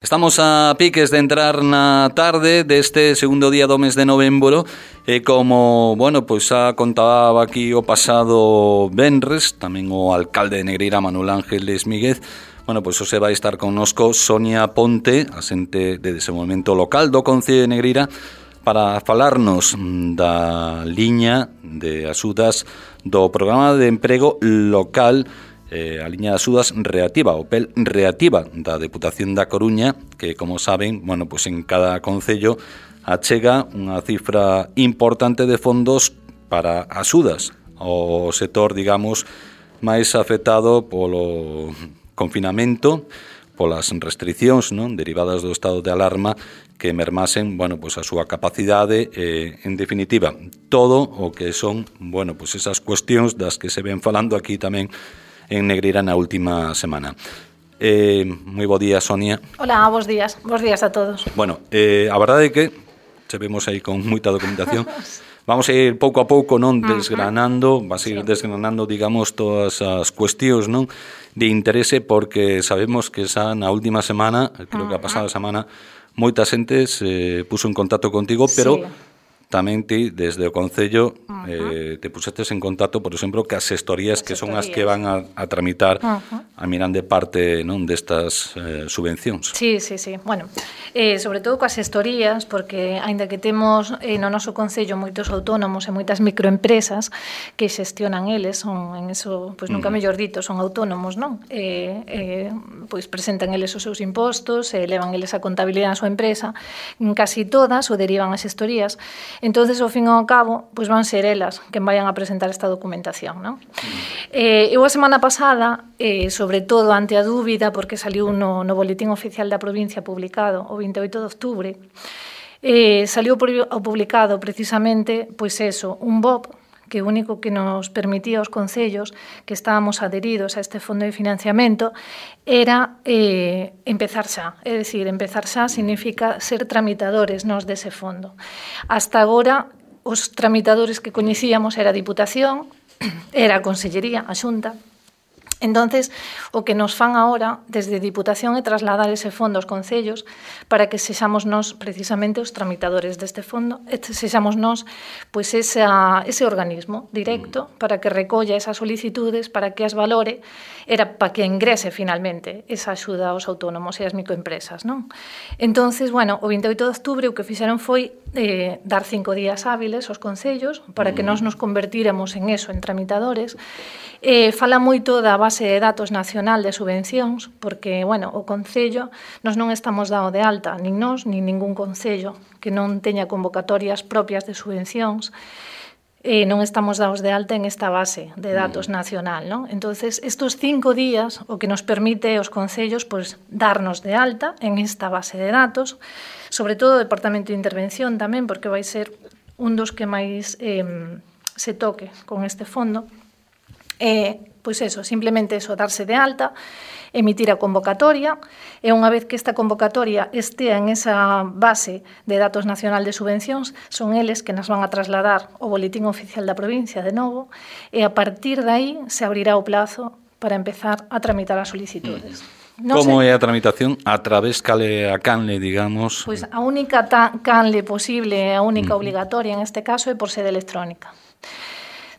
Estamos a piques de entrar na tarde deste segundo día do mes de novembro e como, pois xa contaba aquí o pasado venres, tamén o alcalde de Negreira, Manuel Ángeles Míguez, pois hoxe vai estar connosco Sonia Ponte, asente de desenvolvemento local do Concello de Negreira, para falarnos da liña de axudas do programa de emprego local, a liña de axudas reactiva, o PEL reactiva da Deputación da Coruña, que, como saben, pois en cada concello achega unha cifra importante de fondos para axudas ao sector, digamos, máis afectado polo confinamento, polas restriccións derivadas do estado de alarma que mermasen, pois a súa capacidade e, en definitiva, todo o que son, pois esas cuestións das que se ven falando aquí tamén en Negreira na última semana. Moi bo día, Sonia. Hola, bos días a todos. A verdade é que se vemos aí con moita documentación. Vamos a ir pouco a pouco desgranando, digamos, todas as cuestións de interese, porque sabemos que xa na última semana, creo que a pasada semana, moita xente se puso en contacto contigo, pero tamén ti, desde o Concello, te pusestes en contacto, por exemplo, que as gestorías que son as que van a tramitar a mirande parte destas subvencións. Sí. Sobre todo coas gestorías, porque aínda que temos no noso Concello moitos autónomos e moitas microempresas que xestionan eles, son en eso, pois nunca mellor dito, son autónomos, non? Pois presentan eles os seus impostos, levan eles a contabilidade da súa empresa, casi todas o derivan as gestorías. Entonces, ao fin e ao cabo, pois van ser elas quen vayan a presentar esta documentación, non? Eu a semana pasada, sobre todo ante a dúbida, porque saliu no Boletín Oficial da Provincia publicado o 28 de outubro, saliu publicado precisamente, pois eso, un BOP, que o único que nos permitía aos concellos que estábamos adheridos a este fondo de financiamento era empezar xa. É dicir, empezar xa significa ser tramitadores nos dese fondo. Hasta agora, os tramitadores que coñecíamos era a Diputación, era a Consellería, a Xunta. Entonces, o que nos fan agora, desde Diputación, é trasladar ese fondo aos concellos para que sexamos nós, precisamente, os tramitadores deste fondo, e sexamos nós, pois, ese organismo directo para que recolla esas solicitudes, para que as valore, era para que ingrese, finalmente, esa axuda aos autónomos e as microempresas, non? Entonces, o 28 de outubro o que fixeron foi dar 5 días hábiles aos concellos para que nós nos convertíramos en eso, en tramitadores. Fala moito da base de datos nacional de subvencións, porque, o Concello, nós non estamos dado de alta, nin nós, nin ningún Concello que non teña convocatorias propias de subvencións, non estamos dados de alta en esta base de datos nacional, non? Entonces, estos 5 días, o que nos permite aos concellos, pois, darnos de alta en esta base de datos, sobre todo o Departamento de Intervención tamén, porque vai ser un dos que máis se toque con este fondo. Pois eso, simplemente eso, darse de alta, emitir a convocatoria, e unha vez que esta convocatoria estea en esa base de datos nacional de subvencións, son eles que nos van a trasladar o Boletín Oficial da Provincia de novo, e a partir de aí se abrirá o plazo para empezar a tramitar as solicitudes. Como é a tramitación? A través a canle, digamos? Pois a única canle posible, a única obligatoria en este caso, é por sede electrónica.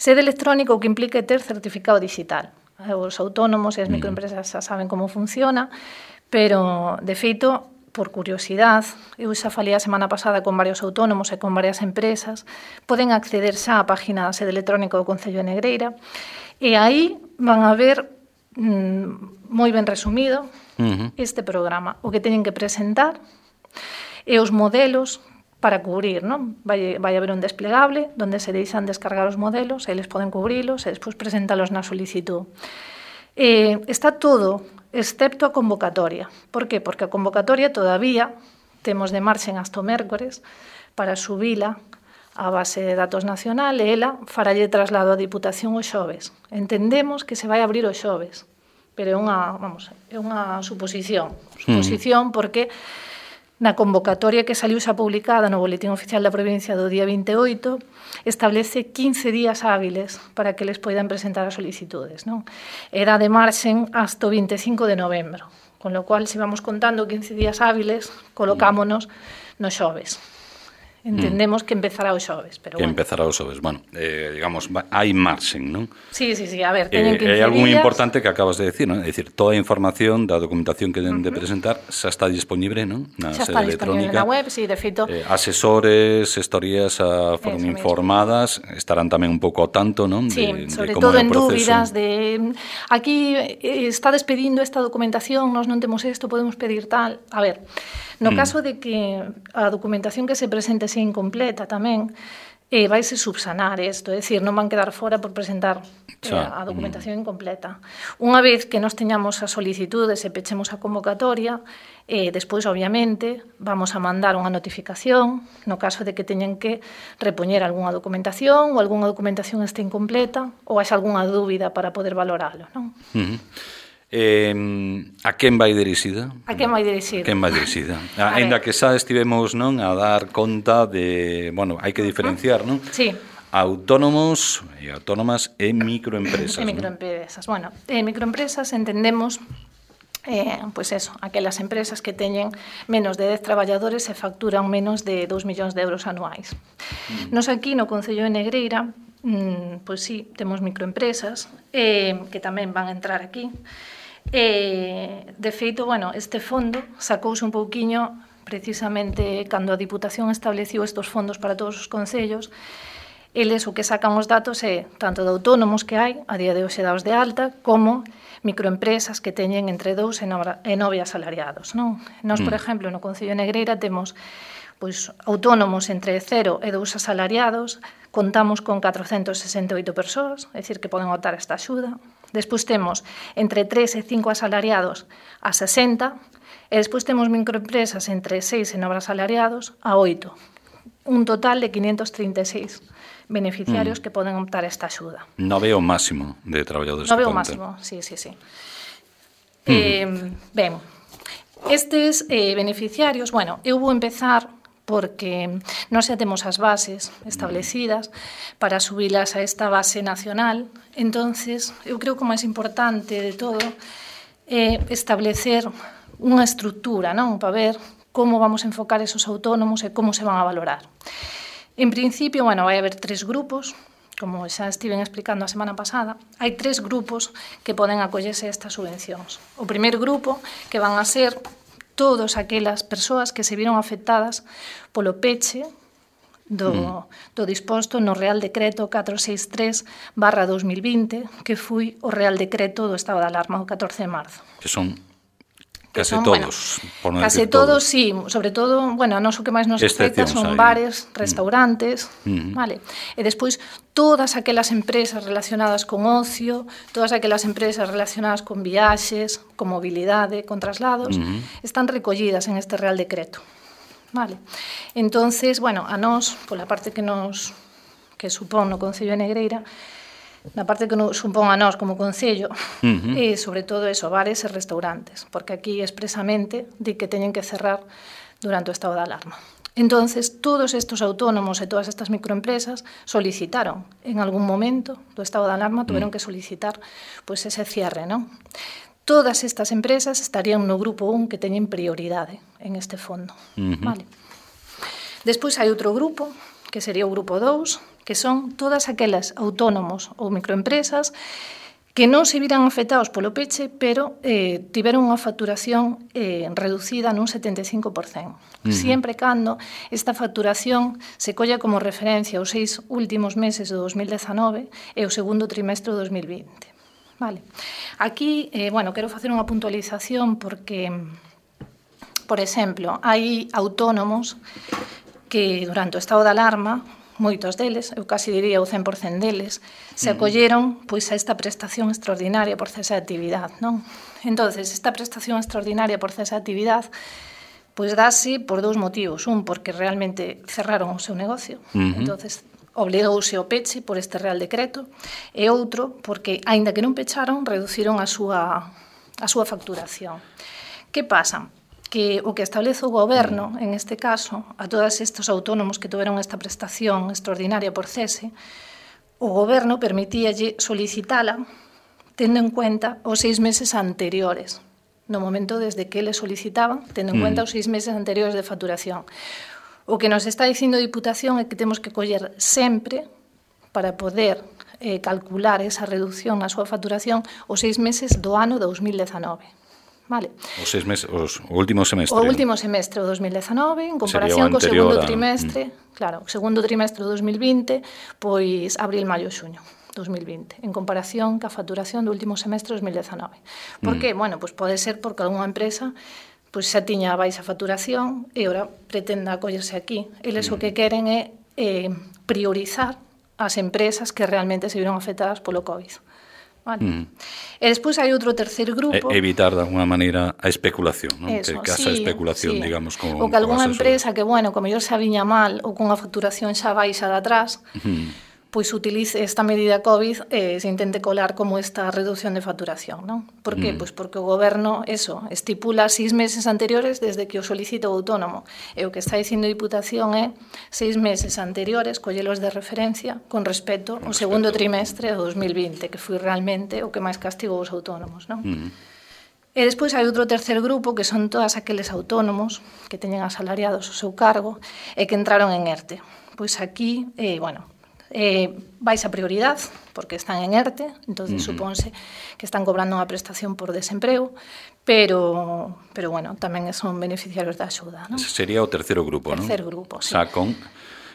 Sede electrónica o que implica é ter certificado digital. Os autónomos e as microempresas xa saben como funciona, pero, de feito, por curiosidade, eu xa falei a semana pasada con varios autónomos e con varias empresas, poden acceder xa á página da sede electrónica do Concello de Negreira, e aí van a ver, moi ben resumido, este programa. O que teñen que presentar e os modelos para cubrir, non? Vai haber un desplegable onde se deixan descargar os modelos, eles poden cubrilos e despois presentalos na solicitud. Está todo, excepto a convocatoria. Por que? Porque a convocatoria todavía temos de marxen hasta o mércores para subila á base de datos nacional e ela faralle traslado a Diputación o xoves. Entendemos que se vai abrir o xoves, pero é unha suposición. Suposición porque na convocatoria que saliu xa publicada no Boletín Oficial da Provincia do día 28, establece 15 días hábiles para que les poidan presentar as solicitudes, non? Era de marxen hasta o 25 de novembro. Con lo cual, se vamos contando 15 días hábiles, colocámonos no xoves. Entendemos que empezará o xoves, pero que bueno. empezará o xoves. Bueno, digamos, hai marxen, non? Sí, a ver, teñen 15 días. É algo moi importante que acabas de decir, non? É dicir, toda a información da documentación que deben de presentar xa está disponible, non? Na xa sede está disponible electrónica. na web, sí, de feito. Asesores, gestorías foron informadas, estarán tamén un pouco ao tanto, non? Sí, sobre todo en dúbidas de aquí estades pedindo esta documentación, nós non temos isto, podemos pedir tal. A ver, no caso de que a documentación que se presente sea incompleta tamén, vaise subsanar isto, é dicir, non van quedar fora por presentar a documentación incompleta. Unha vez que nos teñamos as solicitudes e pechemos a convocatoria, despois, obviamente, vamos a mandar unha notificación no caso de que teñen que repoñer algunha documentación ou algunha documentación este incompleta ou haxa algunha dúbida para poder valoralo, non? A quen vai dirixida? A quen vai dirixida? Quen vai dirixida? Ainda que xa estivemos, non, a dar conta de, bueno, hai que diferenciar, non? Sí. Autónomos e autónomas e microempresas. E microempresas. Bueno, microempresas entendemos pois eso, aquelas empresas que teñen menos de 10 traballadores e facturan menos de 2 millóns de euros anuais. Nos aquí no Concello de Negreira, pois sí, temos microempresas que tamén van a entrar aquí. De feito, bueno, este fondo sacouse un pouquiño precisamente cando a Diputación estableciu estes fondos para todos os concellos. Eles o que sacan os datos é tanto de autónomos que hai, a día de hoxe daos de alta, como microempresas que teñen entre 2 e 9 asalariados, non? Nós, por exemplo, no Concello de Negreira temos pois autónomos entre 0 e 2 asalariados, contamos con 468 persoas, é dicir, que poden optar a esta axuda. Despois temos entre 3 e 5 asalariados a 60, e despois temos microempresas entre 6 e 9 asalariados a 8. Un total de 536 beneficiarios que poden optar a esta axuda. 9 o máximo de traballadores. 9 o máximo, sí. Ben, estes beneficiarios, bueno, eu vou empezar porque nós xa temos as bases establecidas para subilas a esta base nacional. Entonces, eu creo que o máis importante de todo é establecer unha estrutura, non? Para ver como vamos a enfocar esos autónomos e como se van a valorar. En principio, bueno, vai haber 3 grupos, como xa estiven explicando a semana pasada, hai 3 grupos que poden acollese a estas subvencións. O primeiro grupo, que van a ser todas aquelas persoas que se viron afectadas polo peche do disposto no Real Decreto 463/2020, que foi o Real Decreto do Estado de Alarma o 14 de marzo. Que son case todos, por non case todos, sí, sobre todo, bueno, a nós o que máis nos afecta son bares, restaurantes, vale? E despois todas aquelas empresas relacionadas con ocio, todas aquelas empresas relacionadas con viaxes, con mobilidade, con traslados, están recollidas en este Real Decreto, vale? Entonces, bueno, a nós, pola parte que supón no Concello de Negreira, na parte que nos supón a nós como Concello, e sobre todo eso, bares e restaurantes, porque aquí expresamente di que teñen que cerrar durante o estado de alarma. Entonces, todos estes autónomos e todas estas microempresas solicitaron, en algún momento do estado de alarma, tuveron que solicitar pois ese cierre, non? Todas estas empresas estarían no grupo 1 que teñen prioridade en este fondo, vale? Despois hai outro grupo, que sería o grupo 2, que son todas aquelas autónomos ou microempresas que non se viran afectados polo peche, pero tiveron unha facturación reducida nun 75%. Siempre cando esta facturación se colla como referencia os 6 últimos meses do 2019 e o segundo trimestre do 2020. Vale. Aquí, bueno, quero facer unha puntualización porque, por exemplo, hai autónomos que durante o estado de alarma, moitos deles, eu casi diría o 100% deles, se acolleron pois a esta prestación extraordinaria por cese de actividade, non? Entonces, esta prestación extraordinaria por cese de actividade pois dase por 2 motivos. Un, porque realmente cerraron o seu negocio, entonces obligouse ao peche por este Real Decreto, e outro, porque, aínda que non pecharon, reduciron a súa facturación. Que pasa? Que o que establece o Goberno, en este caso, a todos estes autónomos que tiveron esta prestación extraordinaria por cese, o Goberno permitíalle solicitala tendo en cuenta os 6 meses anteriores no momento desde que eles solicitaban, tendo en cuenta os 6 meses anteriores de facturación. O que nos está dicindo a Diputación é que temos que coller sempre, para poder calcular esa reducción na súa facturación, os 6 meses do ano 2019. Vale. Os 6 meses, o último semestre. O último semestre do 2019, en comparación co segundo trimestre, claro, o segundo trimestre do 2020, pois abril, maio, xuño 2020, en comparación ca facturación do último semestre do 2019. Por que? Bueno, pois pode ser porque algunha empresa pois xa tiña baixa facturación e ora pretenda acollerse aquí. Eles o que queren é priorizar as empresas que realmente se viron afectadas polo COVID. Vale. E despois hai outro terceiro grupo. Evitar de alguna maneira a especulación, non? Que casa a especulación, digamos, con o que algunha empresa que, bueno, como mellor se viña mal ou con a facturación xa baixa de atrás, pois utilice esta medida COVID se intente colar como esta reducción de facturación, non? Por que? Pois porque o goberno, estipula 6 meses anteriores desde que o solicita o autónomo. E o que está dicindo a Diputación é 6 meses anteriores, collelos de referencia con respecto ao segundo trimestre do 2020, que foi realmente o que máis castigou os autónomos, non? E despois hai outro terceiro grupo que son todas aqueles autónomos que teñen asalariados o seu cargo e que entraron en ERTE. Pois aquí, vais a prioridad porque están en ERTE, entonces supónse que están cobrando unha prestación por desemprego, pero bueno, tamén son beneficiarios da axuda, non? Ese sería o terceiro grupo, non? Terceiro grupo, sí. Xa con,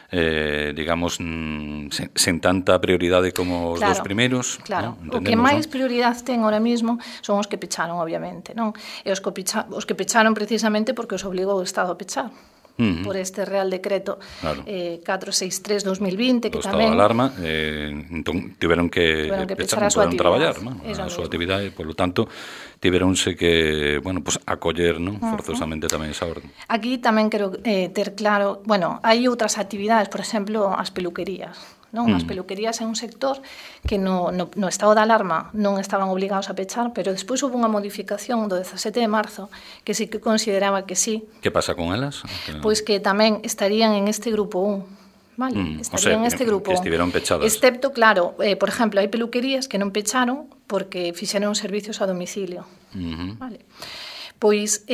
digamos, sen tanta prioridade como os dos primeiros. Claro, o que máis prioridade ten ahora mismo son os que pecharon, obviamente, non? E os que pecharon precisamente porque os obligou o Estado a pechar. Por este Real Decreto 463/2020 que tamén... O estado de alarma, entón tiveron que pechar, non poderon traballar, a súa actividade, polo tanto, tiveronse que, bueno, pues acoller, non, forzosamente tamén esa orden. Aquí tamén quero ter claro, bueno, hai outras actividades, por exemplo, as peluquerías, non? As peluquerías é un sector que no estado de alarma non estaban obligados a pechar, pero despois houve unha modificación do 17 de marzo que sí que consideraba que sí. Que pasa con elas? Pois que tamén estarían en este grupo 1. Vale, estarían en este grupo. Que estiveron pechadas. Excepto, claro, por exemplo, hai peluquerías que non pecharon porque fixeron servicios a domicilio. Vale. Pois,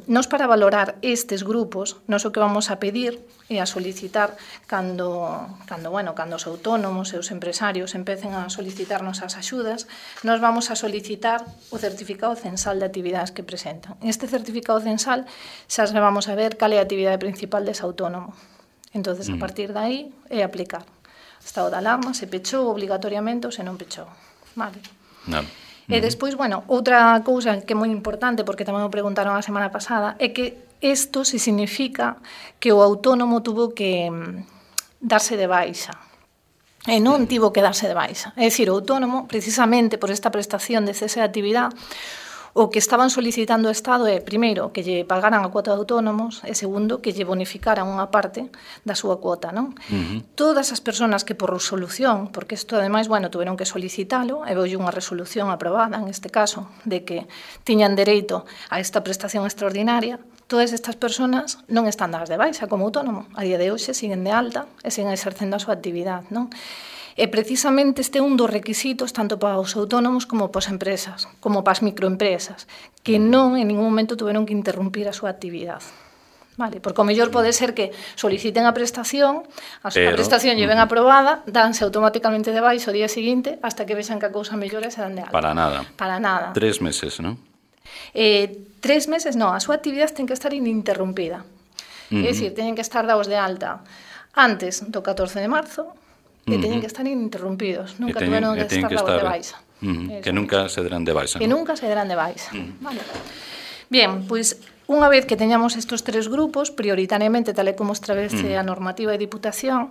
nos para valorar estes grupos, nos o que vamos a pedir e a solicitar cando os autónomos e os empresarios empecen a solicitarnos as axudas, nos vamos a solicitar o certificado censal de actividades que presentan. Este certificado censal xa se vamos a ver cal é a actividade principal dese autónomo. Entonces, a partir de aí, é aplicar. Estado de alarma, se pechou obligatoriamente ou se non pechou. Vale. E despois, bueno, outra cousa que é moi importante, porque tamén o preguntaron a semana pasada, é que isto se significa que o autónomo tuvo que darse de baixa. E non tivo que darse de baixa. É dicir, o autónomo, precisamente por esta prestación de cese de actividade, o que estaban solicitando o Estado é, primeiro, que lle pagaran a cuota de autónomos e, segundo, que lle bonificaran unha parte da súa cuota, non? Todas as persoas que por resolución, porque isto, ademais, bueno, tuveron que solicitalo, e veulle unha resolución aprobada, en este caso, de que tiñan dereito a esta prestación extraordinaria, todas estas persoas non están dadas de baixa como autónomo. A día de hoxe siguen de alta e siguen exercendo a súa actividade, non? E precisamente este é un dos requisitos tanto para os autónomos como para as empresas, como para as microempresas, que non en ningún momento tuveron que interrumpir a súa actividade. Vale, porque o mellor pode ser que soliciten a prestación, a prestación lle ven aprobada, danse automáticamente de baixo o día seguinte, hasta que vexan que a cousa mellora e se dan de alta. Para nada. Para nada. 3 meses, non? 3 meses, non, a súa actividade ten que estar ininterrumpida. É dicir, teñen que estar dados de alta antes do 14 de marzo, que teñen que estar ininterrumpidos, nunca tuveron que estar dados de baixa. Que nunca se derán de baixa. Que nunca se derán de baixa. Vale. Bien, pois unha vez que teñamos estes 3 grupos, prioritariamente, tal e como establece a normativa de Diputación,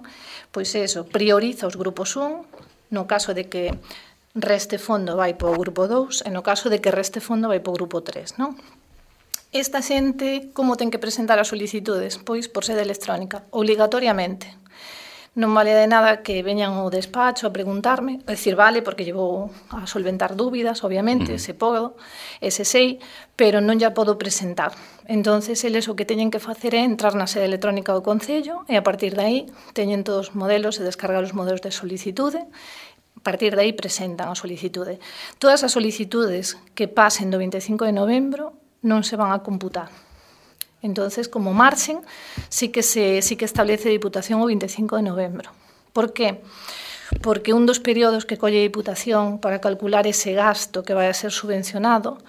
pois eso, prioriza os grupos 1, no caso de que reste fondo vai para o grupo 2, e no caso de que reste fondo vai para o grupo 3, non? Esta xente, como ten que presentar as solicitudes? Pois por sede electrónica, obligatoriamente. Non vale de nada que veñan ao despacho a preguntarme, é dicir, vale, porque llevo a solventar dúbidas, obviamente, se podo, ese sei, pero non ya podo presentar. Entonces, eles o que teñen que facer é entrar na sede electrónica do Concello e a partir de aí teñen todos os modelos e descargar os modelos de solicitude partir de aí presentan a solicitude. Todas as solicitudes que pasen do 25 de novembro non se van a computar. Entonces, como marxen, sí que establece a Diputación o 25 de novembro. Por qué? Porque un dos períodos que colle a Diputación para calcular ese gasto que vai a ser subvencionado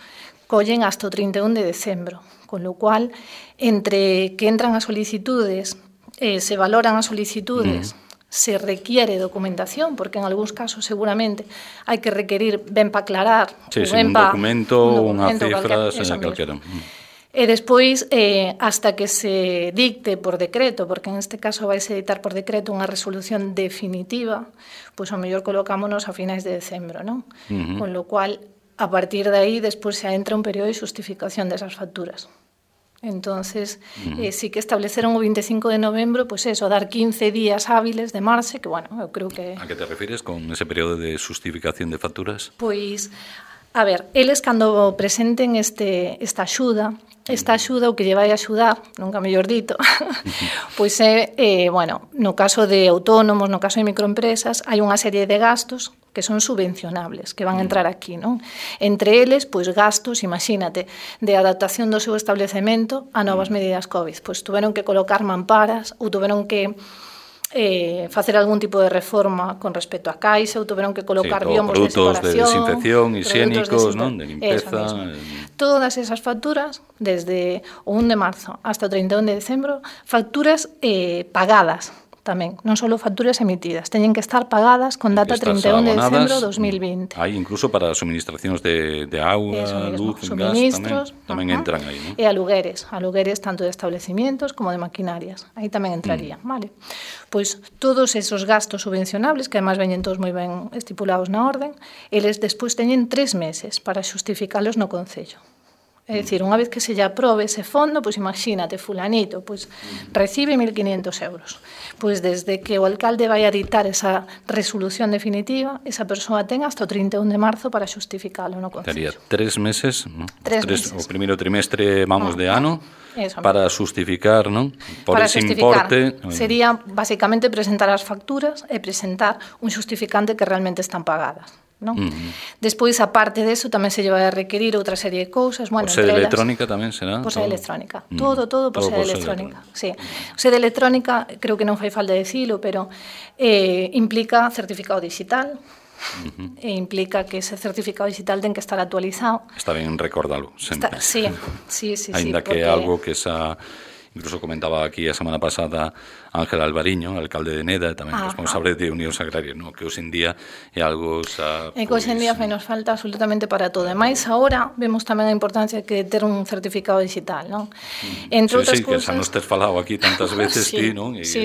collen hasta o 31 de decembro, con lo cual, entre que entran as solicitudes, se valoran as solicitudes, se requiere documentación, porque en algúns casos seguramente hai que requerir ben para aclarar, un documento, unha cifra, calquera. E despois, hasta que se dicte por decreto, porque en este caso vai se dictar por decreto unha resolución definitiva, pois ao mellor colocámonos a finais de decembro, non? Con lo cual, a partir de aí, despois se entra un período de xustificación desas facturas. Entonces, sí que estableceron o 25 de novembro, pois eso, dar 15 días hábiles de marxe, que, bueno, eu creo que... A que te refires con ese período de xustificación de facturas? Pois, a ver, eles cando presenten esta axuda, o que lle vai axudar, nunca mellor dito, pois é, bueno, no caso de autónomos, no caso de microempresas, hai unha serie de gastos que son subvencionables, que van a entrar aquí, non? Entre eles, pois gastos, imagínate, de adaptación do seu establecemento a novas medidas COVID. Pois tuveron que colocar mamparas ou tuveron que facer algún tipo de reforma con respecto a caixa ou tuveron que colocar biombos de separación. Produtos de desinfección, higiénicos, non? De limpeza. Todas esas facturas, desde o 1 de marzo hasta o 31 de decembro, facturas pagadas tamén, non só facturas emitidas, teñen que estar pagadas con data 31 de decembro de 2020. Hai incluso para suministracións de auga, luz, gas, tamén entran aí, non? E alugueres tanto de establecimientos como de maquinarias, aí tamén entraría, vale? Pois todos esos gastos subvencionables, que además veñen todos moi ben estipulados na orden, eles despois teñen 3 meses para xustificalos no Concello. É dicir, unha vez que se lle aprobe ese fondo, pois imagínate, fulanito, pois recibe 1.500 euros. Pois desde que o alcalde vai a dictar esa resolución definitiva, esa persoa ten hasta o 31 de marzo para xustificalo no Concello. Tería 3 meses, non? 3 meses. O primeiro trimestre, de ano, para xustificar, non? Por ese importe. Sería, basicamente, presentar as facturas e presentar un xustificante que realmente están pagadas. Non? Despois, aparte deso, tamén se lle vai a requerir outra serie de cousas. Bueno, por sede electrónica tamén será? Por sede electrónica. Todo por sede electrónica. Sí. Sede electrónica, creo que non fai falta decilo, pero implica certificado digital, e implica que ese certificado digital ten que estar actualizado. Está ben recordalo, sempre. Sí. Ainda que é algo que incluso comentaba aquí a semana pasada Ángel Alvariño, alcalde de Neda, tamén responsable de Unións Agrarias, no? Que hoxe en día é algo que hoxe en día nos falta absolutamente para todo. E máis agora vemos tamén a importancia que ter un certificado digital, non? Entre outras cousas... que xa nos tes falado aquí tantas veces ti, non? Sí.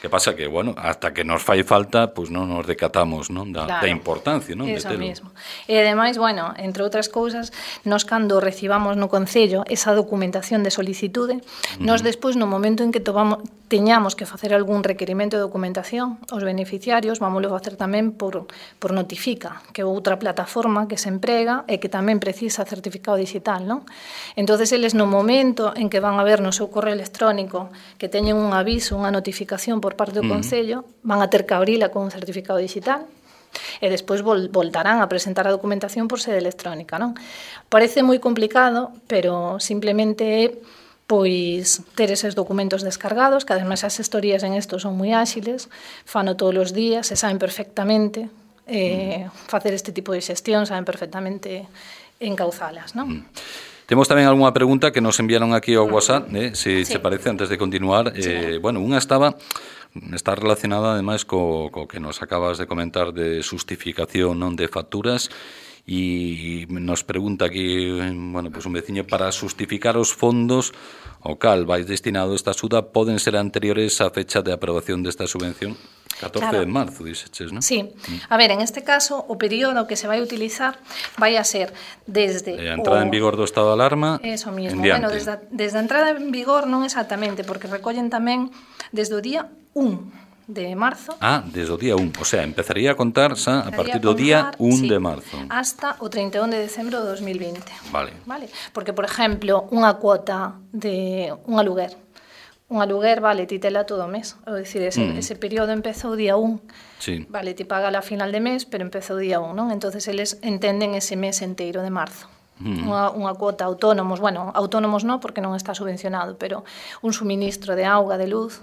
Que pasa que, bueno, hasta que nos fai falta, pois non nos decatamos, non? Da importancia, non? Eso mesmo. E ademais, bueno, entre outras cousas, nos cando recibamos no Concello esa documentación de solicitude, nos despois, no momento en que teñamos que facer algún requerimento de documentación, os beneficiarios vámoslo facer tamén por Notifica, que é outra plataforma que se emprega e que tamén precisa certificado digital, non? Entonces, eles no momento en que van a ver no seu correo electrónico que teñen un aviso, unha notificación por parte do Concello, van a ter que abrila con un certificado digital e despois voltarán a presentar a documentación por sede electrónica, non? Parece moi complicado, pero simplemente é pois ter eses documentos descargados, que ademais as gestorías en isto son moi áxiles, fano todos os días, se saben perfectamente facer este tipo de xestión, saben perfectamente encauzalas, non? Temos tamén algunha pregunta que nos enviaron aquí ao WhatsApp, se te parece, antes de continuar. Bueno, unha está relacionada ademais co que nos acabas de comentar de xustificación, non, de facturas, e nos pregunta aquí, bueno, pues un veciño, para xustificar os fondos ao cal vai destinado esta axuda poden ser anteriores á fecha de aprobación desta subvención? 14 de marzo, diseches, non? Sí. A ver, en este caso, o período que se vai utilizar vai a ser desde a entrada en vigor do estado de alarma eso mismo. Bueno, desde a entrada en vigor non exactamente, porque recollen tamén desde o día 1 de marzo. Desde o día 1. O sea, empezaría a contar xa a partir do día 1 de marzo. Hasta o 31 de decembro de 2020. Vale. Porque, por exemplo, unha cuota de un aluguer. un aluguer, vale, ti tela todo o mes. É dicir, ese período empeza o día 1. Sí. Vale, ti paga a final de mes, pero empeza o día 1, non? Entonces, eles entenden ese mes enteiro de marzo. Unha cuota autónomos, bueno, autónomos non, porque non está subvencionado, pero un suministro de auga, de luz,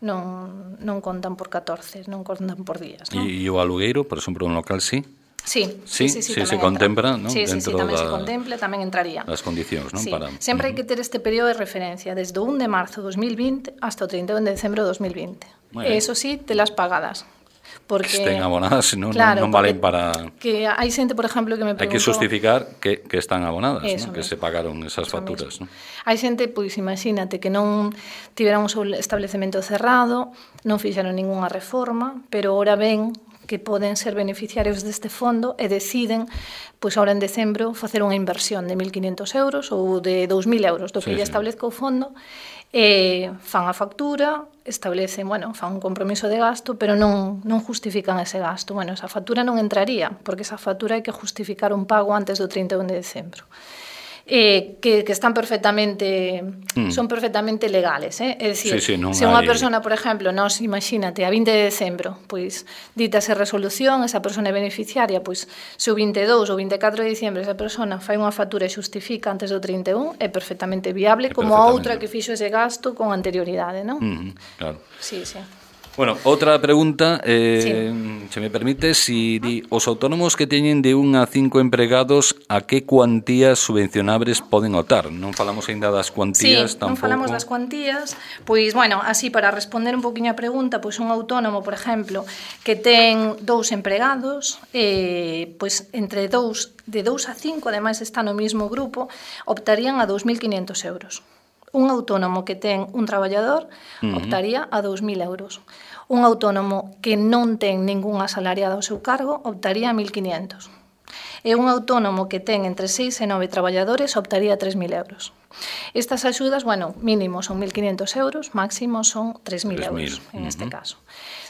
non contan por 14, non contan por días, non? E o alugueiro, por exemplo, un local, sí? Sí, se contempla, ¿no? Sí, dentro tamén se contempla, tamén entraría. Das condicións, non? Sí. Para... Sempre hai que ter este período de referencia, desde o 1 de marzo de 2020 hasta o 31 de decembro de 2020. E iso sí, telas pagadas. Porque, estén abonadas, non, claro, non valen para... Que hai xente, por exemplo, que me preguntou... Hai que justificar que están abonadas, ¿no? Que se pagaron esas facturas, ¿no? Hai xente, pois imagínate, que non tiveran o seu establecemento cerrado, non fixeron ningunha reforma, pero ora ven que poden ser beneficiarios deste fondo e deciden, pois agora en decembro, facer unha inversión de 1.500 euros ou de 2.000 euros, do que lle establezca o fondo, fan a factura, establecen, bueno, fan un compromiso de gasto, pero non justifican ese gasto. Bueno, esa factura non entraría, porque esa factura hai que justificar un pago antes do 31 de decembro. Que están perfectamente son perfectamente legales, é dicir, se unha persona, por exemplo, nos imagínate a 20 de decembro, pois dítase resolución, esa persona é beneficiaria, pois se o 22 ou 24 de diciembre esa persona fai unha factura e xustifica antes do 31, é perfectamente viable, como a outra que fixo ese gasto con anterioridade, non? Claro. Sí, sí. Bueno, outra pregunta, se me permite, si os autónomos que teñen de 1 a 5 empregados, a que cuantías subvencionables poden optar? Non falamos aínda das cuantías, tampouco. Non falamos das cuantías, pois, bueno, así, para responder un poquinho a pregunta, pois un autónomo, por exemplo, que ten 2 empregados, pois entre de 2 a 5, ademais está no mesmo grupo, optarían a 2.500 euros. Un autónomo que ten un traballador optaría a 2.000 euros. Un autónomo que non ten ningún asalariado ao seu cargo optaría a 1.500. E un autónomo que ten entre 6 e 9 traballadores optaría a 3.000 euros. Estas axudas, bueno, mínimo son 1.500 euros, máximo son 3.000 euros, en este caso.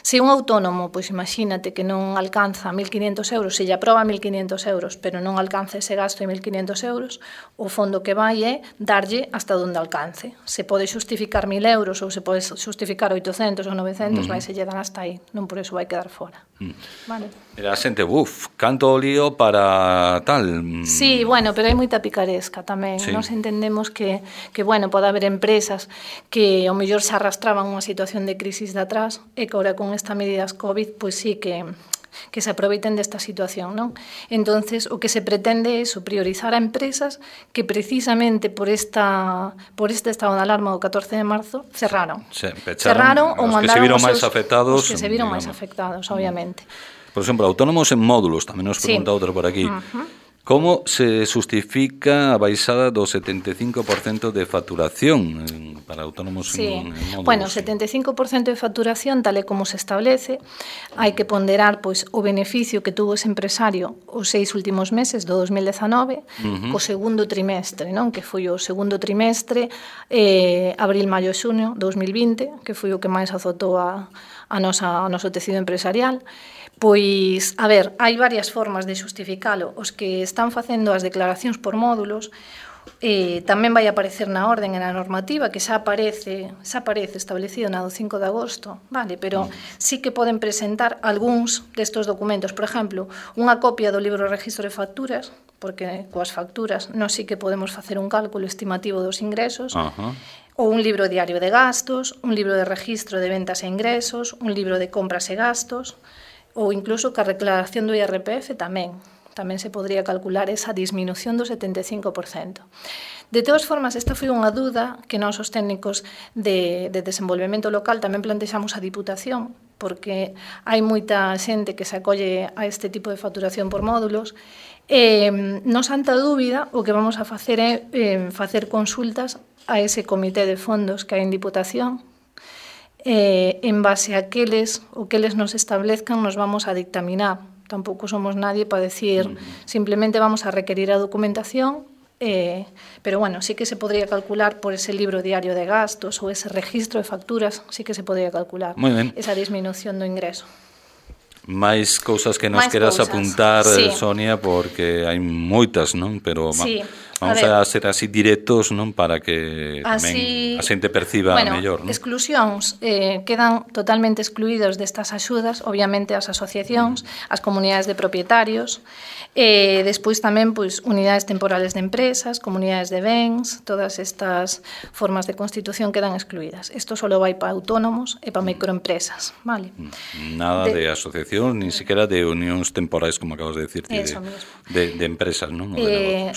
Se un autónomo, pois imagínate que non alcanza 1.500 euros, se lle aproba 1.500 euros, pero non alcanza ese gasto de 1.500 euros, o fondo que vai é darlle hasta onde alcance. Se pode xustificar 1.000 euros ou se pode xustificar 800 ou 900, vai se lle dan hasta aí, non por eso vai quedar fora. Vale. Era xente, canto lío para tal. Sí, bueno, pero hai moita picaresca tamén. Nos entendemos que bueno, pode haber empresas que ao mellor se arrastraban unha situación de crisis de atrás e que agora con estas medidas COVID, pois sí que se aproveiten desta situación, non? Entonces, o que se pretende é priorizar a empresas que precisamente por este estado de alarma do 14 de marzo cerraron. Cerraron ou mandaron os que se viron máis afectados, obviamente. Por exemplo, autónomos en módulos, tamén nos pregunta outro por aquí. Como se justifica a baixada do 75% de facturación para autónomos en módulos? Bueno, 75% de facturación, tal e como se establece, hai que ponderar pois o beneficio que tuvo ese empresario os 6 últimos meses do 2019 co segundo trimestre, non? Que foi o segundo trimestre, abril, maio e xuño 2020, que foi o que máis azotou ao noso tecido empresarial. Pois, a ver, hai varias formas de xustificalo. Os que están facendo as declaracións por módulos tamén vai aparecer na orden e na normativa que xa aparece establecido na do 5 de agosto, vale, pero sí que poden presentar algúns destos documentos. Por exemplo, unha copia do libro de registro de facturas, porque coas facturas nós sí que podemos facer un cálculo estimativo dos ingresos, ou un libro diario de gastos, un libro de registro de ventas e ingresos, un libro de compras e gastos, ou incluso que a declaración do IRPF tamén se podría calcular esa disminución do 75%. De todas formas, esta foi unha dúda que nós os técnicos de desenvolvemento local tamén plantexamos a Diputación, porque hai moita xente que se acolle a este tipo de facturación por módulos. Non santa dúbida, o que vamos a facer é facer consultas a ese comité de fondos que hai en Diputación, en base a o que eles nos establezcan nos vamos a dictaminar. Tampouco somos nadie para decir simplemente vamos a requerir a documentación, pero bueno, sí que se podría calcular por ese libro diario de gastos ou ese registro de facturas, sí que se podría calcular esa disminución do ingreso. Máis cousas que nos queras apuntar, Sonia, porque hai moitas, non? Pero Vamos a ser así directos, non, para que tamén a xente perciba mellor, non? Exclusións quedan totalmente excluídos destas axudas, obviamente as asociacións, as comunidades de propietarios, despois tamén pois unidades temporales de empresas, comunidades de bens, todas estas formas de constitución quedan excluídas. Isto só vai para autónomos e para microempresas, vale? Nada de asociación, ni siquiera de unións temporais, como acabas de decir, de empresas, non?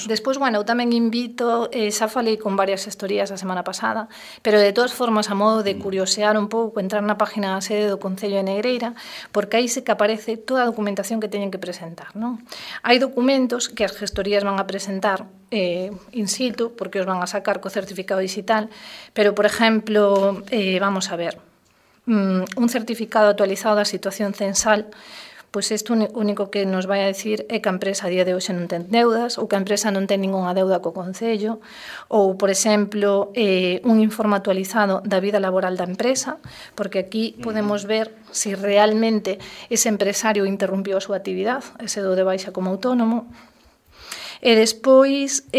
Despois, bueno, tamén invito, xa falei con varias gestorías a semana pasada, pero de todas formas, a modo de curiosear un pouco, entrar na página da sede do Concello de Negreira, porque aí se que aparece toda a documentación que teñen que presentar, non? Hai documentos que as gestorías van a presentar in situ, porque os van a sacar co certificado digital, pero, por exemplo, vamos a ver, un certificado actualizado da situación censal, pois isto único que nos vai a dicir é que a empresa a día de hoxe non ten deudas ou que a empresa non ten ningunha deuda co Concello ou, por exemplo, un informe actualizado da vida laboral da empresa, porque aquí podemos ver se realmente ese empresario interrumpiu a súa actividade, ese do de baixa como autónomo. E despois,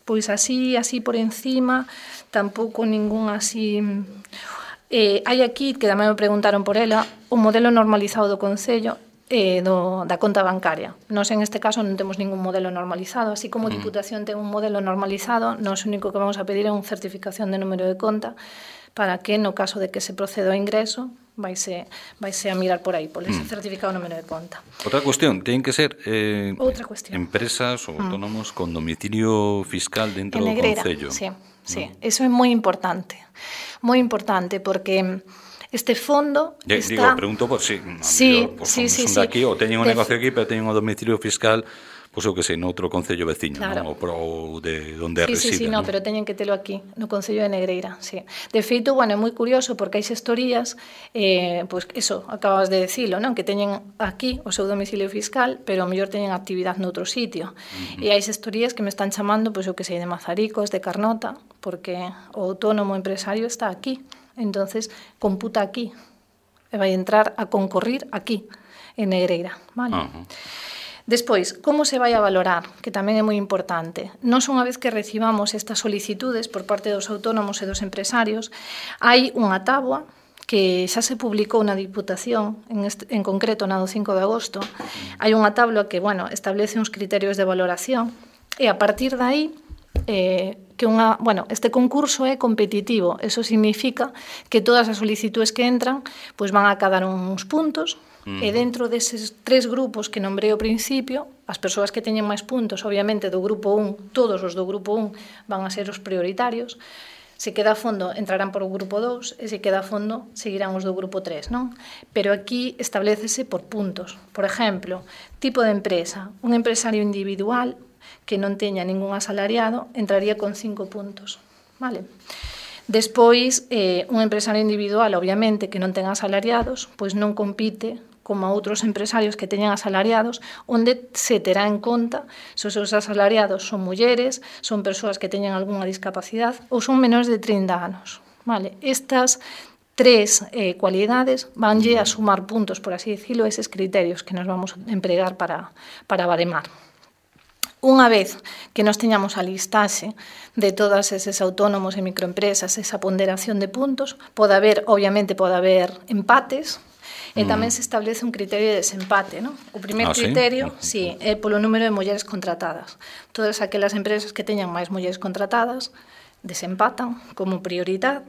pois así por encima, tampouco ningún así... hai aquí, que tamén me preguntaron por ela, o modelo normalizado do Concello da conta bancaria. Nós, en este caso, non temos ningún modelo normalizado, así como a Diputación ten un modelo normalizado, nós o único que vamos a pedir é unha certificación de número de conta para que, no caso de que se proceda ao ingreso, vaise a mirar por aí, por ese certificado de número de conta. Outra cuestión, ten que ser empresas ou autónomos con domicilio fiscal dentro do Concello. Sí, eso é moi importante, porque este fondo está... Pregunto por si son de aquí ou teñen un negocio aquí, pero teñen un domicilio fiscal, pois eu que sei, noutro concello veciño, ou de onde resida. Sí, pero teñen que telo aquí, no Concello de Negreira, sí. De feito, bueno, é moi curioso, porque hai xestorías, pois eso, acabas de decilo, non? Que teñen aquí o seu domicilio fiscal, pero ao mellor teñen actividade noutro sitio. E hai xestorías que me están chamando, pois eu que sei, de Mazaricos, de Carnota, porque o autónomo empresario está aquí. Entonces, computa aquí, e vai entrar a concorrir aquí, en Negreira, vale? Despois, como se vai a valorar? Que tamén é moi importante. Nós, unha vez que recibamos estas solicitudes por parte dos autónomos e dos empresarios, hai unha táboa que xa se publicou na Diputación, en concreto na do 5 de agosto. Hai unha tabla que, bueno, establece uns criterios de valoración e a partir de aí este concurso é competitivo. Eso significa que todas as solicitudes que entran pois van a cadar uns puntos. E dentro deses 3 grupos que nombrei ao principio, as persoas que teñen máis puntos, obviamente, do grupo 1, todos os do grupo 1 van a ser os prioritarios. Se queda a fondo, entrarán por o grupo 2, e se queda a fondo, seguirán os do grupo 3, non? Pero aquí establecese por puntos. Por exemplo, tipo de empresa. Un empresario individual que non teña ningún asalariado entraría con 5 puntos, vale? Despois, un empresario individual, obviamente, que non ten asalariados, pois non compite como outros empresarios que teñan asalariados, onde se terá en conta se os seus asalariados son mulleres, son persoas que teñan algunha discapacidade ou son menores de 30 anos. Vale? Estas 3 cualidades vanlle a sumar puntos, por así decirlo, eses criterios que nos vamos a empregar para baremar. Unha vez que nos teñamos a listaxe de todas eses autónomos e microempresas, esa ponderación de puntos, obviamente pode haber empates, e tamén se establece un criterio de desempate, non? O primeiro criterio, é polo número de mulleres contratadas. Todas aquelas empresas que teñan máis mulleres contratadas desempatan como prioridade.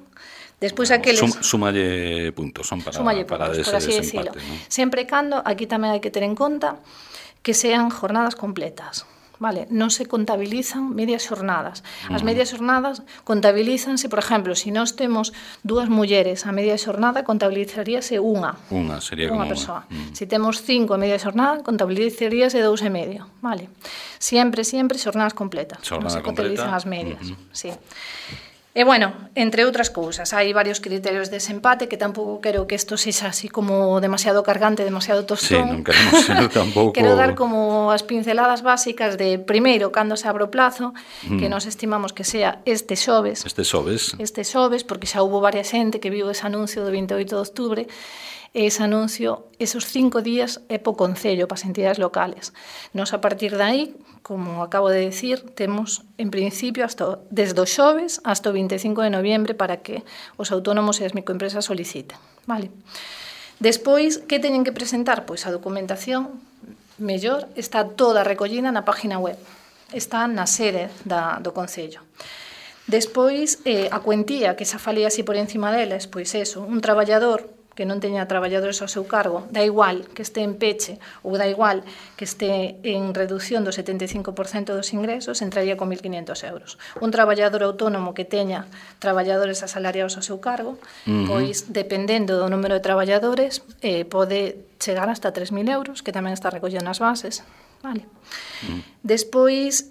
Despois aqueles... Súmalle puntos, son para ese desempate, non? Sempre e cando, aquí tamén hai que ter en conta que sean jornadas completas. Vale, non se contabilizan medias xornadas. As medias xornadas contabilízanse, por exemplo, se nós temos 2 mulleres a media xornada, contabilizaríase unha sería unha persoa. Se temos 5 a media xornada, contabilizaríase 2 e medio. Vale. Sempre xornadas completas. Non se contabilizan as medias. Sí. E, bueno, entre outras cousas, hai varios criterios de desempate que tampouco quero que isto sexa así como demasiado cargante, demasiado tostón. Sí, non queremos ser tampouco... Quero dar como as pinceladas básicas de, primeiro, cando se abre o plazo, que nos estimamos que sea este xoves. Este xoves, porque xa houve varias xente que viu ese anuncio do 28 de outubro, e ese anuncio, esos 5 días é po Concello, para as entidades locales. Nos, a partir de aí, como acabo de decir, temos, en principio, desde o xoves hasta o 25 de noviembre para que os autónomos e as microempresas soliciten. Vale. Despois, que teñen que presentar? Pois a documentación, mellor, está toda recollida na página web. Está na sede do Concello. Despois, a cuentía, que xa falei así por encima deles, pois eso, un traballador que non teña traballadores ao seu cargo, da igual que este en peche ou da igual que este en reducción do 75% dos ingresos, entraría con 1.500 euros. Un traballador autónomo que teña traballadores asalariados ao seu cargo, pois, dependendo do número de traballadores, pode chegar hasta 3.000 euros, que tamén está recollido nas bases. Vale. Despois,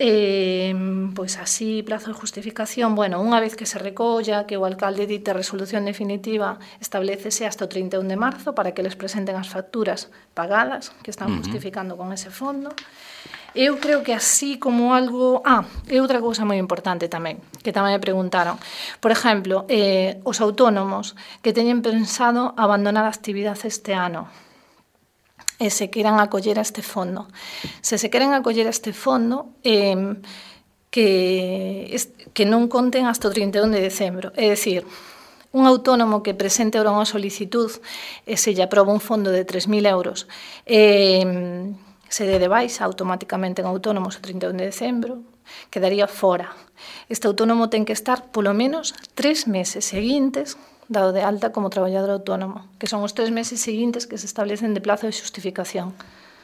pois así, plazo de justificación, bueno, unha vez que se recolla, que o alcalde dite a resolución definitiva, establecese hasta o 31 de marzo para que les presenten as facturas pagadas que están justificando con ese fondo. Eu creo que así como algo... e outra cousa moi importante tamén, que tamén me preguntaron. Por exemplo, os autónomos que teñen pensado abandonar a actividade este ano, e se queran acoller a este fondo. Se se queren acoller a este fondo, que non conten hasta o 31 de decembro. É dicir, un autónomo que presente ahora unha solicitud e se lle aproba un fondo de 3.000 euros, se dé de baixa automáticamente en autónomos o 31 de decembro, quedaría fora. Este autónomo ten que estar polo menos 3 meses seguintes dado de alta como traballador autónomo, que son os 3 meses seguintes que se establecen de plazo de xustificación.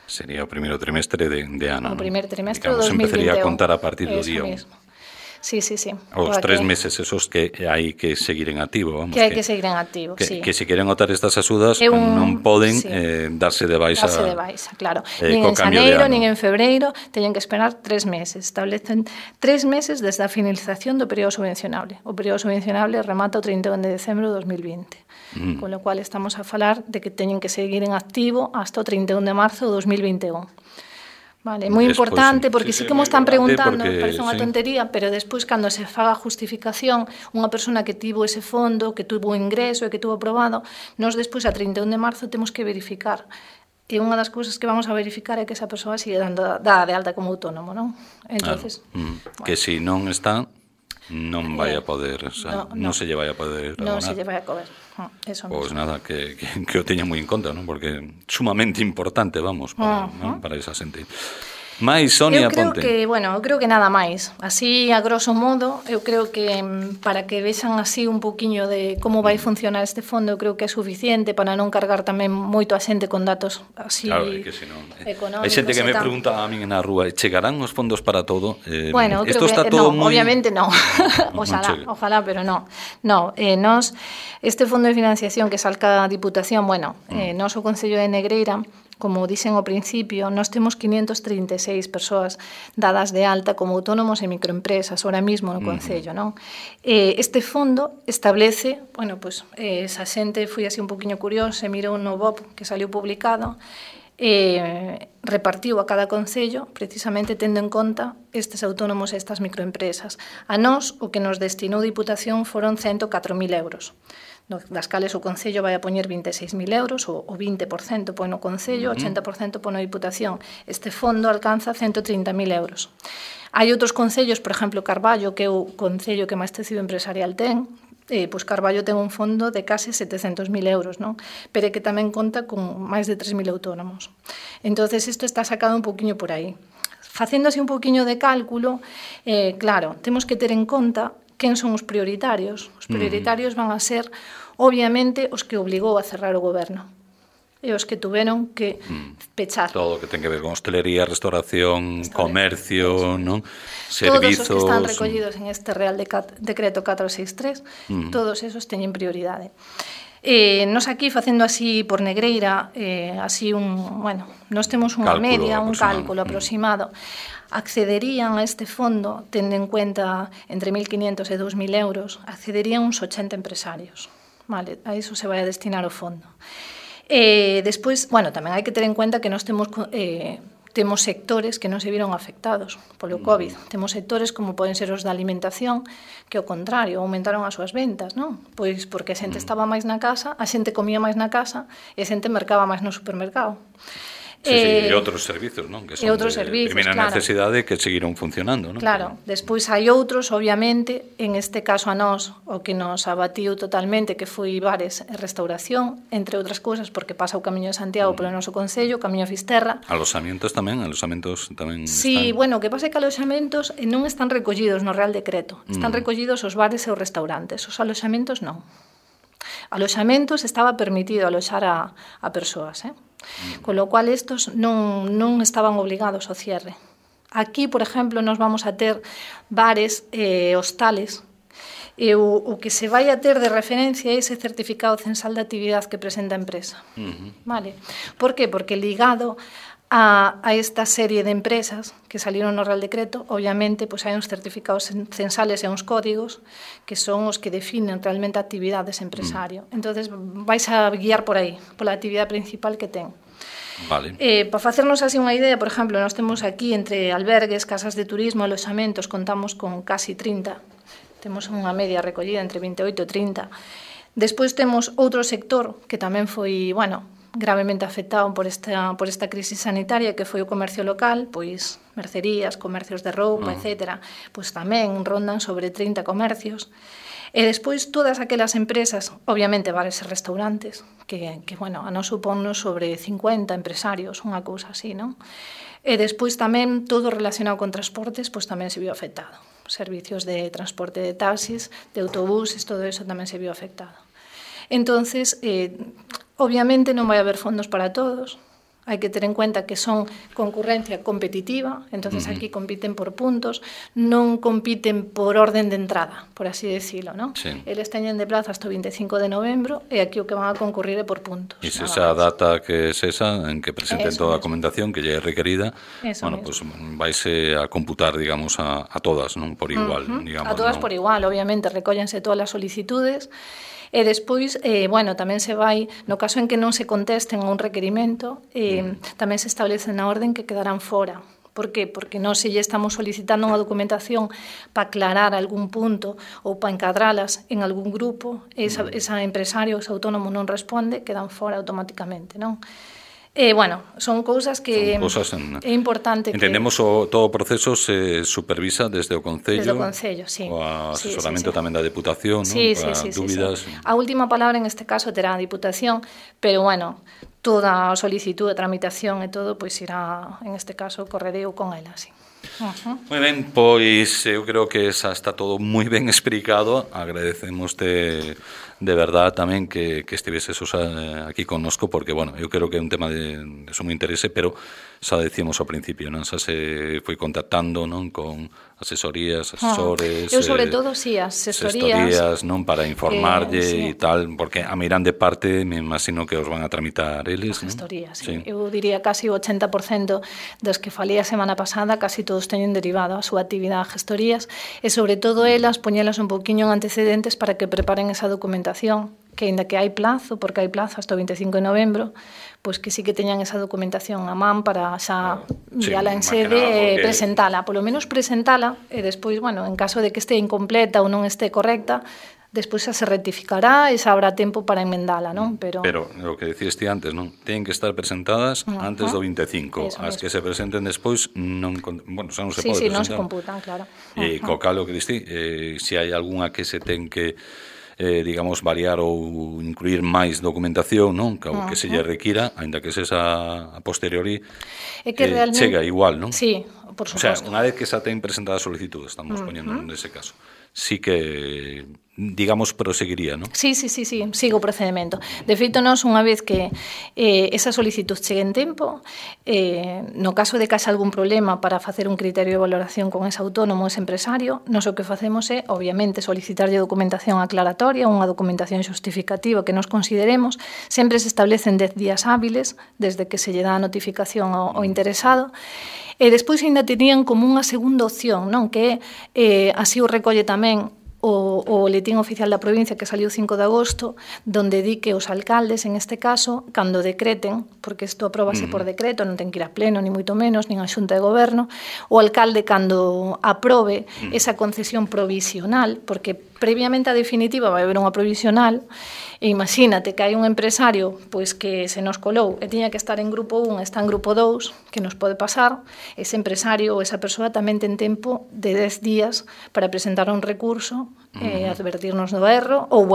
Sería o primeiro trimestre de ano. O primeiro trimestre do 2021. Empezaría a contar a partir do día 1. Sí, sí, sí. Os 3 meses esos que hai que seguir en activo. Vamos, que hai que seguir en activo, sí. Que se queren optar estas axudas non poden darse de baixa. Darse de baixa, claro. Nin en xaneiro, nin en febreiro, teñen que esperar 3 meses. Establecen 3 meses desde a finalización do período subvencionable. O período subvencionable remata o 31 de decembro de 2020. Con lo cual estamos a falar de que teñen que seguir en activo hasta o 31 de marzo de 2021. Vale, moi importante, porque sí que mo están preguntando, parece unha tontería, pero despois, cando se faga a justificación, unha persona que tivo ese fondo, que tuvo ingreso e que tuvo aprobado, nos despois, a 31 de marzo, temos que verificar. E unha das cousas que vamos a verificar é que esa persoa sigue dada de alta como autónomo, non? Entonces, que se non está, non vai a poder, o sea, non se lle vai a poder abonar. Non se lle vai a poder. Eso pois nada, que o teña moi en conta, non? Porque é sumamente importante, vamos, para esa xente. Mais, Sonia, Ponte. Eu creo que nada máis. Así, a grosso modo, eu creo que para que vexan así un poquinho de como vai funcionar este fondo, eu creo que é suficiente para non cargar tamén moito a xente con datos así económicos. Hai xente que me pregunta a min na rúa, chegarán os fondos para todo? Bueno, eu creo que obviamente non. Ojalá, pero non. Nos, este fondo de financiación que salca a Diputación, nos o Concello de Negreira, como dixen ao principio, nós temos 536 persoas dadas de alta como autónomos e microempresas, ahora mismo no Concello, non? Este fondo establece, esa xente foi así un poquinho curiosa e mirou no BOP que saliu publicado, repartiu a cada concello precisamente tendo en conta estes autónomos e estas microempresas. A nós, o que nos destinou Diputación foron 104.000 euros. Das cales o Concello vai a poñer 26.000 euros, o 20% pon o Concello, o 80% pon a Diputación. Este fondo alcanza 130.000 euros. Hai outros concellos, por exemplo, Carballo, que é o concello que máis tecido empresarial ten, pois Carballo ten un fondo de case 700.000 euros, non? Pero que tamén conta con máis de 3.000 autónomos. Entonces, isto está sacado un poquinho por aí. Facendo así un poquinho de cálculo, claro, temos que ter en conta quen son os prioritarios. Os prioritarios van a ser, obviamente, os que obligou a cerrar o goberno. E os que tuveron que pechar. Todo o que ten que ver con hostelería, restauración, comercio, non? Servizos... Todos os que están recollidos en este Real Decreto 463, todos esos teñen prioridade. Nos aquí, facendo así por Negreira, así nos temos unha media, un cálculo aproximado, accederían a este fondo, tendo en cuenta entre 1.500 e 2.000 euros, accederían uns 80 empresarios. Vale, a iso se vai a destinar o fondo. Despois, tamén hai que ter en cuenta que nós temos temos sectores que non se viron afectados polo COVID. Temos sectores como poden ser os da alimentación, que ao contrario, aumentaron as súas ventas, non? Pois porque a xente estaba máis na casa, a xente comía máis na casa e a xente mercaba máis no supermercado. E outros servizos, non? Que son de primeira necesidade que seguiron funcionando, non? Claro, despois hai outros, obviamente, en este caso a nós, o que nos abatiu totalmente, que foi bares e restauración, entre outras cousas, porque pasa o Camiño de Santiago polo noso concello, o Camiño de Fisterra. Alosamentos tamén Sí, bueno, o que pasa é que alosamentos non están recollidos no Real Decreto, están recollidos os bares e os restaurantes, os alosamentos non. Alosamentos estaba permitido aloxar a persoas, con lo cual estos non estaban obligados ao cierre. Aquí, por exemplo, nos vamos a ter bares e hostales e o que se vai a ter de referencia é ese certificado censal de actividade que presenta a empresa. Vale? Por qué? Porque ligado a esta serie de empresas que salieron no Real Decreto, obviamente, pues hai uns certificados censales e uns códigos que son os que definen realmente a actividade dese empresario. Entonces vais a guiar por aí, pola actividade principal que ten. Vale. Para facernos así unha idea, por exemplo, nós temos aquí entre albergues, casas de turismo, alojamentos, contamos con casi 30. Temos unha media recollida entre 28 e 30. Despois temos outro sector que tamén foi, gravemente afectado por esta crisis sanitaria, que foi o comercio local, pois mercerías, comercios de roupa, etc. Pois tamén rondan sobre 30 comercios. E despois todas aquelas empresas, obviamente bares e restaurantes, que a nos suponnos sobre 50 empresarios, unha cousa así, non? E despois tamén todo relacionado con transportes, pois tamén se viu afectado. Servicios de transporte de taxis, de autobuses, todo eso tamén se viu afectado. Entonces, obviamente non vai haber fondos para todos, hai que ter en cuenta que son concurrencia competitiva, entonces aquí compiten por puntos, non compiten por orden de entrada, por así decirlo, non? Sí. Eles teñen de plaza hasta o 25 de novembro e aquí o que van a concurrir é por puntos. E se esa data que é esa, en que presenten toda a documentación que lle é requerida, pues vaise a computar, digamos, a todas, non? Por igual, digamos. A todas por igual, obviamente, recóllense todas as solicitudes. E despois, tamén se vai, no caso en que non se contesten a un requerimento, tamén se establece na orden que quedarán fora. Por qué? Porque non se lle estamos solicitando unha documentación para aclarar algún punto ou para encadralas en algún grupo, esa empresario, ese autónomo non responde, quedan fora automáticamente, non? Son cousas que é importante. Entendemos que todo o proceso se supervisa desde o Concello. Desde o Concello, sí. O asesoramento tamén da Deputación, sí, para dúbidas. Sí. A última palabra en este caso terá a Diputación, pero toda a solicitud, a tramitación e todo, pois irá, en este caso, correreu con ela, sí. Moi ben, pois eu creo que xa está todo moi ben explicado. Agradecemoste de verdad tamén que estiveses aquí connosco, porque, eu creo que é un tema de sumo interese, pero xa decíamos ao principio, non? Xa se foi contactando, non? Con asesorías, asesores... Eu, sobre todo, sí, asesorías, non? Para informarlle e tal, porque a miran de parte, me imagino que os van a tramitar eles, non? Asesorías, sí. Eu diría casi o 80% dos que falei a semana pasada, casi todos teñen derivado a súa actividade a gestorías, e sobre todo elas, poñelas un poquinho en antecedentes para que preparen esa documentación, que ainda que hai plazo, porque hai plazo hasta o 25 de novembro, pois que sí que teñan esa documentación a man para xa enviala en sede e presentala, polo menos presentala, e despois, en caso de que este incompleta ou non este correcta, despois xa se rectificará e xa habrá tempo para enmendala, non? Pero o que dicías ti antes, non? Teñen que estar presentadas antes do 25. As que se presenten despois non, xa non se pode presentar. Sí, non se computan, claro. E co calo que diste, se hai algunha que se ten que variar ou incluir máis documentación, non? Que se lle requira, aínda que sexa a posteriori, chega igual, non? Sí, por suposto. O sea, unha vez que xa ten presentada a solicitud, estamos poñendo nese caso, sí que, digamos, proseguiría, non? Sí, sigo o procedimento. De feito, nós, unha vez que esa solicitud chegue en tempo, no caso de que haxa algún problema para facer un criterio de valoración con ese autónomo, ese empresario, nós o que facemos é, obviamente, solicitarlle documentación aclaratoria, unha documentación xustificativa que nos consideremos. Sempre se establecen 10 días hábiles desde que se lle dá a notificación ao interesado. E despois ainda terían como unha segunda opción, non? Que así o recolle tamén o boletín oficial da provincia que saliu 5 de agosto, donde di que os alcaldes, en este caso, cando decreten, porque isto apróbase por decreto, non ten que ir a pleno, ni moito menos, nin a Xunta de Goberno, o alcalde cando aprobe esa concesión provisional, porque previamente a definitiva vai haber unha provisional, e imagínate que hai un empresario pois que se nos colou e tiña que estar en grupo 1 e está en grupo 2, que nos pode pasar, ese empresario ou esa persoa tamén ten tempo de 10 días para presentar un recurso e advertirnos do erro ou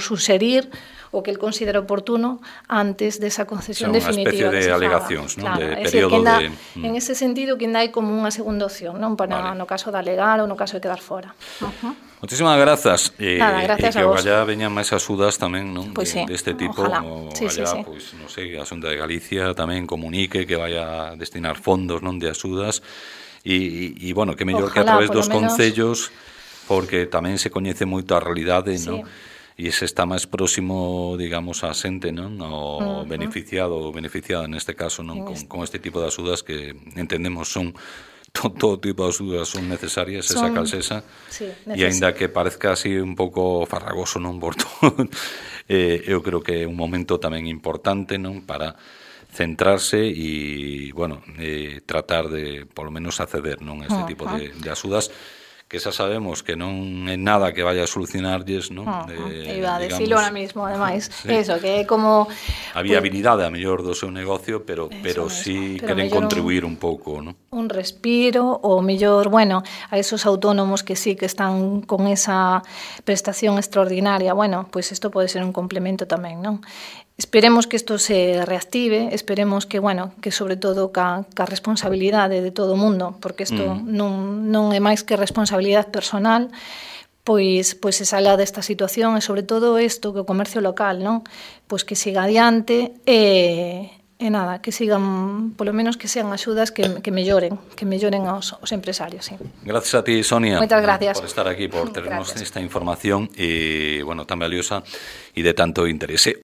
suxerir o que el considera oportuno antes desa concesión definitiva. Unha especie de alegacións, non? Claro, De período de... En ese sentido, que ainda hai como unha segunda opción, non? Para no caso de alegar ou no caso de quedar fora. Moitísimas grazas. Nada, gracias a vos. E que vos. allá veñan máis axudas tamén, non? Pois sí, deste tipo, ojalá. o Sí, allá, sí. pois, non sei, a Xunta de Galicia tamén comunique que vai a destinar fondos, non, de axudas, e bueno, que mellor que a través dos concellos, porque tamén se coñece moito a realidade, non? E se está máis próximo, digamos, a xente, non? O beneficiado ou beneficiada neste caso, non? Con este tipo de axudas que entendemos son todo tipo de axudas son necesarias, esa calsesa, e aínda que parezca así un pouco farragoso, non, por todo, eu creo que é un momento tamén importante, non, para centrarse e, bueno, tratar de, polo menos, acceder, non, a este tipo de axudas, que xa sabemos que non é nada que vaya a solucionarlles, non? Iba a decirlo ahora mismo, ademais, eso, que é como... A viabilidade, a mellor, do seu negocio, pero sí queren contribuir un pouco, non? Un respiro, ou mellor, bueno, a esos autónomos que sí que están con esa prestación extraordinaria, bueno, pois isto pode ser un complemento tamén, non? Esperemos que isto se reactive, esperemos que, bueno, que sobre todo ca responsabilidade de todo o mundo, porque isto non é máis que responsabilidade personal, pois se salga desta situación e sobre todo isto que o comercio local, non? Pois que siga adiante e nada, que sigan, polo menos que sean axudas que melloren aos empresarios, sí. Gracias a ti, Sonia. Moitas gracias. Por estar aquí, por ternos esta información e, bueno, tan valiosa e de tanto interese.